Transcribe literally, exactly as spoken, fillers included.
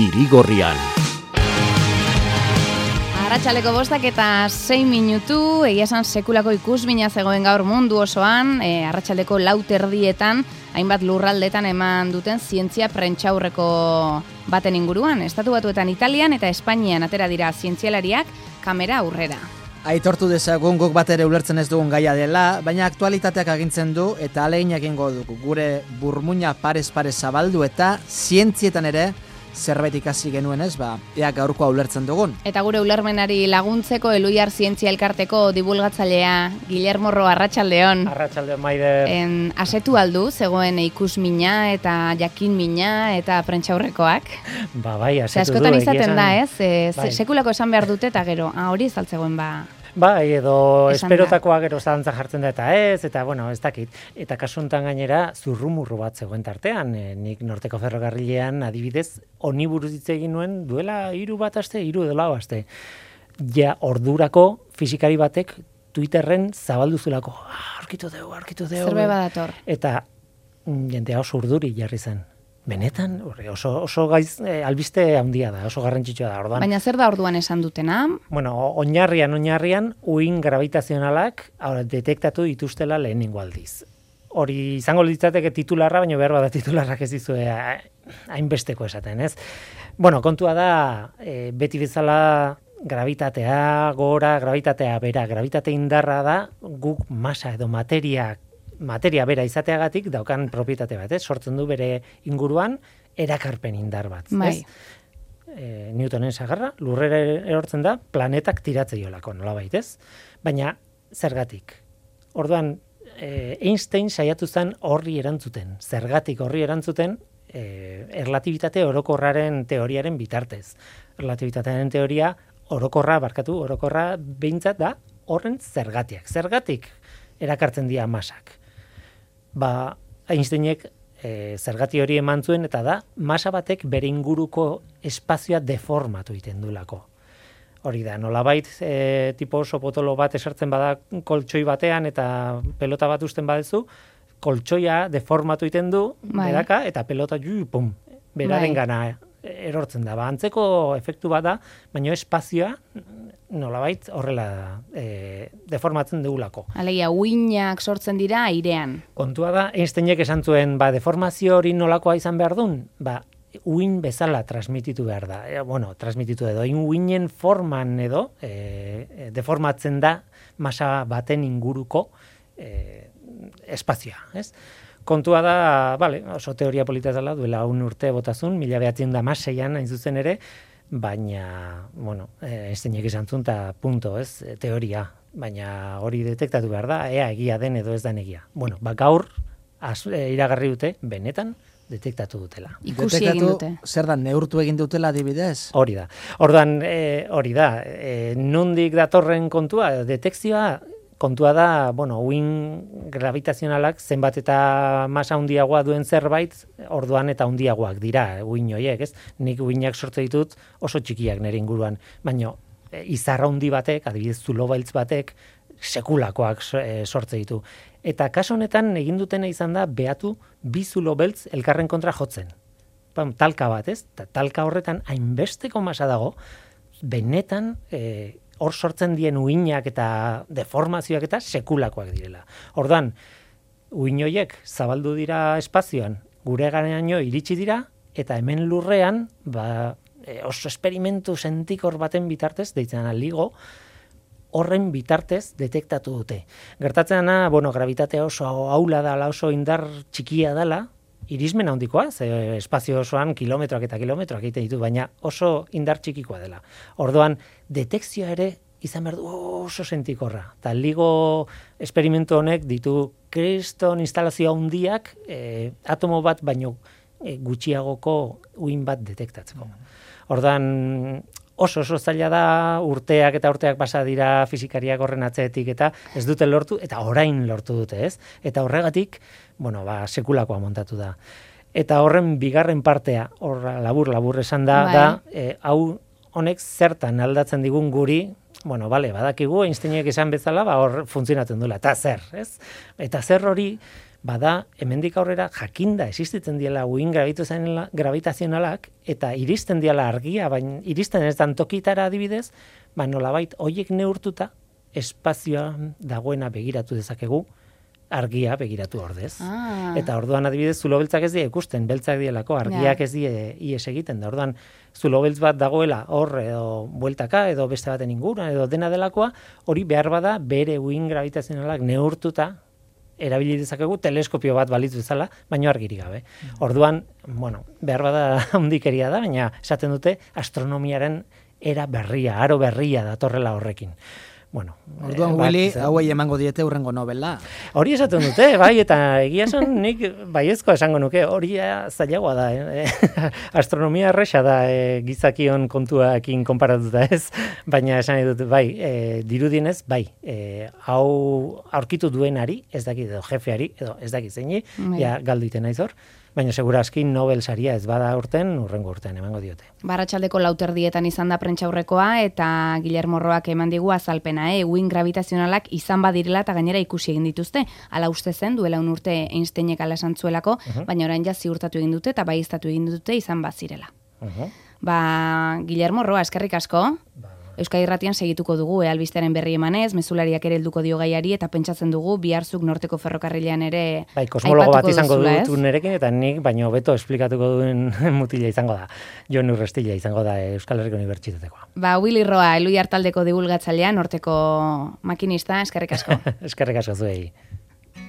Irigorrian. Arratsaleko bostak eta sei minutu, egia esan sekulako ikusmina zegoen gaur mundu osoan, e, arratsaldeko lau terdietan, hainbat lurraldetan eman duten zientzia prentsaurreko baten inguruan. Estatu Batuetan Italian eta Espainian atera dira zientzialariak kamera aurrera. Aitortu dezagun guk bat ere ulertzen ez dugun gaia dela, baina aktualitateak agintzen du eta ahalegin egingo dugu gure burmuina parez-parez zabaldu eta zientzietan ere zerbait ikasi genuen ez, ba, ea gaurkoa ulertzen dugun. Eta gure ulermenari laguntzeko Eluiar Zientzia Elkarteko dibulgatzailea Guillermo Ro, arratsaldeon. Arratsaldeon, Maider. En, asetu aldu, zegoen ikusmina eta jakinmina eta prentsaurrekoak. Ba, bai, asetu du. Askotan izaten da, ez? E, bai. Sekulako esan behar dute eta gero, ah, hori ez altzegoen ba... Bai, edo Esan esperotakoa gero zalantza jartzen da eta ez, eta bueno, ez dakit. Eta kasu honetan gainera zurrumurru bat zegoen tartean, e, nik Norteko Ferrokarrilean adibidez honi buruz hitz egin nuen duela hiru bat aste, hiru edo lau aste. Ja ordurako fisikari batek Twitterren zabaldu zulako, ah, aurkitu dugu, aurkitu dugu. Zerbait badator. Eta mm, jendea oso urduri jarri zen. Benetan, oso, oso gaiz, eh, albiste handia da, oso garrantzitsua da, orduan. Baina zer da orduan esan dutena? Bueno, oinarrian, oinarrian, uhin gravitazionalak ahora, detektatu dituztela lehenengo aldiz. Hori izango litzateke titularra, baina behar bada titularrak ez dizue hainbesteko esaten, ez? Bueno, kontua da, e, beti bezala gravitatea gora, gravitatea bera, gravitate indarra da, guk masa edo materiak materia bera izateagatik daukan propietate bat, ez? Sortzen du bere inguruan erakarpen indar bat, bai. ez? E, Newtonen sagarra, lurrera erortzen da, planetak tiratzeiolako, nolabait, ez? Baina, zergatik? Orduan, e, Einstein saiatu zen horri erantzuten, zergatik horri erantzuten, e, erlatibitate orokorraren teoriaren bitartez. Erlatibitatearen teoria orokorra, barkatu, orokorra behintzat da horren zergatiak. Zergatik erakartzen dira masak. Ba, Einsteinek e, zergati hori eman zuen eta da masa batek bere inguruko espazioa deformatu egiten duelako. Hori da, nolabait e, tipo oso potolo bat esartzen bada koltsoi batean eta pelota bat usten badezu, koltsoia deformatu egiten du, bai. beraka, eta pelota ju, pum, beraren bai. gana erortzen da. Ba, antzeko efektu bat da, baina espazioa nolabait horrela e, deformatzen dugulako. Alegia, uinak sortzen dira airean. Kontua da, Einsteinek esan zuen, ba, deformazio hori nolakoa izan behar duen, ba, uin bezala transmititu behar da. E, bueno, transmititu edo, uinen forman edo, e, deformatzen da masa baten inguruko e, espazioa, ez? Kontua da, vale, oso teoria polita dela, duela un urte botazun, mila behatzen da maseian, hain zuzen ere, baina, bueno, Einsteinek esan zuen, eta punto, ez, teoria, baina hori detektatu behar da, ea egia den edo ez den egia. Bueno, ba gaur, az, e, iragarri dute, benetan, detektatu dutela. Ikusi egin dute. Zer da, neurtu egin dutela adibidez? Hori da. Ordan, e, hori da, e, nondik datorren kontua, detekzioa, kontua da, bueno, uhin gravitazionalak zenbat eta masa handiagoa duen zerbait, orduan eta handiagoak dira, uhin horiek, ez? Nik uhinak sortze ditut oso txikiak nire inguruan, baina e, izarra handi batek, adibidez zulo beltz batek, sekulakoak e, sortze ditu. Eta kaso honetan egin dutena izan da, behatu bi zulo beltz elkarren kontra jotzen. Pam, talka bat, ez? Ta, talka horretan hainbesteko masa dago, benetan e, hor sortzen dien uhinak eta deformazioak eta sekulakoak direla. Orduan, uhin horiek zabaldu dira espazioan, gure garaino iritsi dira, eta hemen lurrean, ba, e, oso esperimentu sentikor baten bitartez, deitzen LIGO, horren bitartez detektatu dute. Gertatzen da, bueno, gravitatea oso aula dela, oso indar txikia dela, irismen handikoa, ze espazio osoan kilometroak eta kilometroak egiten ditu, baina oso indar txikikoa dela. Orduan, detekzioa ere izan behar du oso sentikorra. Eta LIGO esperimentu honek ditu kriston instalazio handiak e, atomo bat baino e, gutxiagoko uhin bat detektatzeko. Orduan, oso oso zaila da, urteak eta urteak pasa dira fisikariak horren atzeetik eta ez dute lortu, eta orain lortu dute, ez? Eta horregatik, bueno, ba, sekulakoa montatu da. Eta horren bigarren partea, hor labur-labur esan da, bai. da e, hau honek zertan aldatzen digun guri, bueno, bale, badakigu, Einsteinek esan bezala, ba, hor funtzionatzen duela, eta zer, ez? Eta zer hori, bada hemendik aurrera jakinda existitzen diela uhin gravitazionalak eta iristen diela argia, baina iristen ez dan tokitara adibidez, ba nolabait hoiek neurtuta espazioan dagoena begiratu dezakegu, argia begiratu ordez. Ah. Eta orduan adibidez zulo beltzak ez die ikusten, beltzak dielako, argiak Ja. ez die ies egiten. Da orduan zulo beltz bat dagoela hor edo bueltaka edo beste baten inguruan edo dena delakoa, hori behar bada bere uhin gravitazionalak neurtuta erabili dezakegu teleskopio bat balitz bezala, baino argirik gabe. Orduan, bueno, behar bada handikeria da, baina esaten dute astronomiaren era berria, aro berria datorrela horrekin. Bueno, Orduan, eh, bat, Willy, izan- hauei emango diete hurrengo novela. Hori esaten dute, bai, eta egia esan nik baiezko esango nuke, hori ja zailagoa da, eh? Astronomia erresa da eh, gizakion kontuakin konparatuta ez, baina esan nahi dut, bai, eh, dirudienez, bai, eh, hau aurkitu duenari, ez dakit edo jefeari, edo ez dakit zeini, Bai. ja galdu iten naiz hor, baina segura aski Nobel saria ez bada urten, urrengo urtean emango diote. Barratxaldeko lauterdietan izan da prentxaurrekoa eta Guillermo Roak eman digu azalpena, eh? Uhin gravitazionalak izan badirela eta gainera ikusi egin dituzte. Hala uste zen, duela un urte Einsteinek ala esan zuelako, baina orain ja ziurtatu egin dute eta baieztatu egin dute izan bazirela. Uh-huh. Ba, Guillermo Roa, eskerrik asko. Euskadi Irratian segituko dugu, eh, albistearen berri emanez, mezulariak ere helduko dio gaiari eta pentsatzen dugu biharzuk norteko ferrokarrilean ere Bai, kosmologo bat aipatuko izango duzula, dut ez? nerekin, eta nik baino beto esplikatuko duen mutila izango da. Jon Urrestila izango da Euskal Herriko Unibertsitatekoa. Ba, Willy Roa, Eloi Artaldeko divulgatzailean, norteko makinista, eskerrik asko. Eskerrik asko zuei.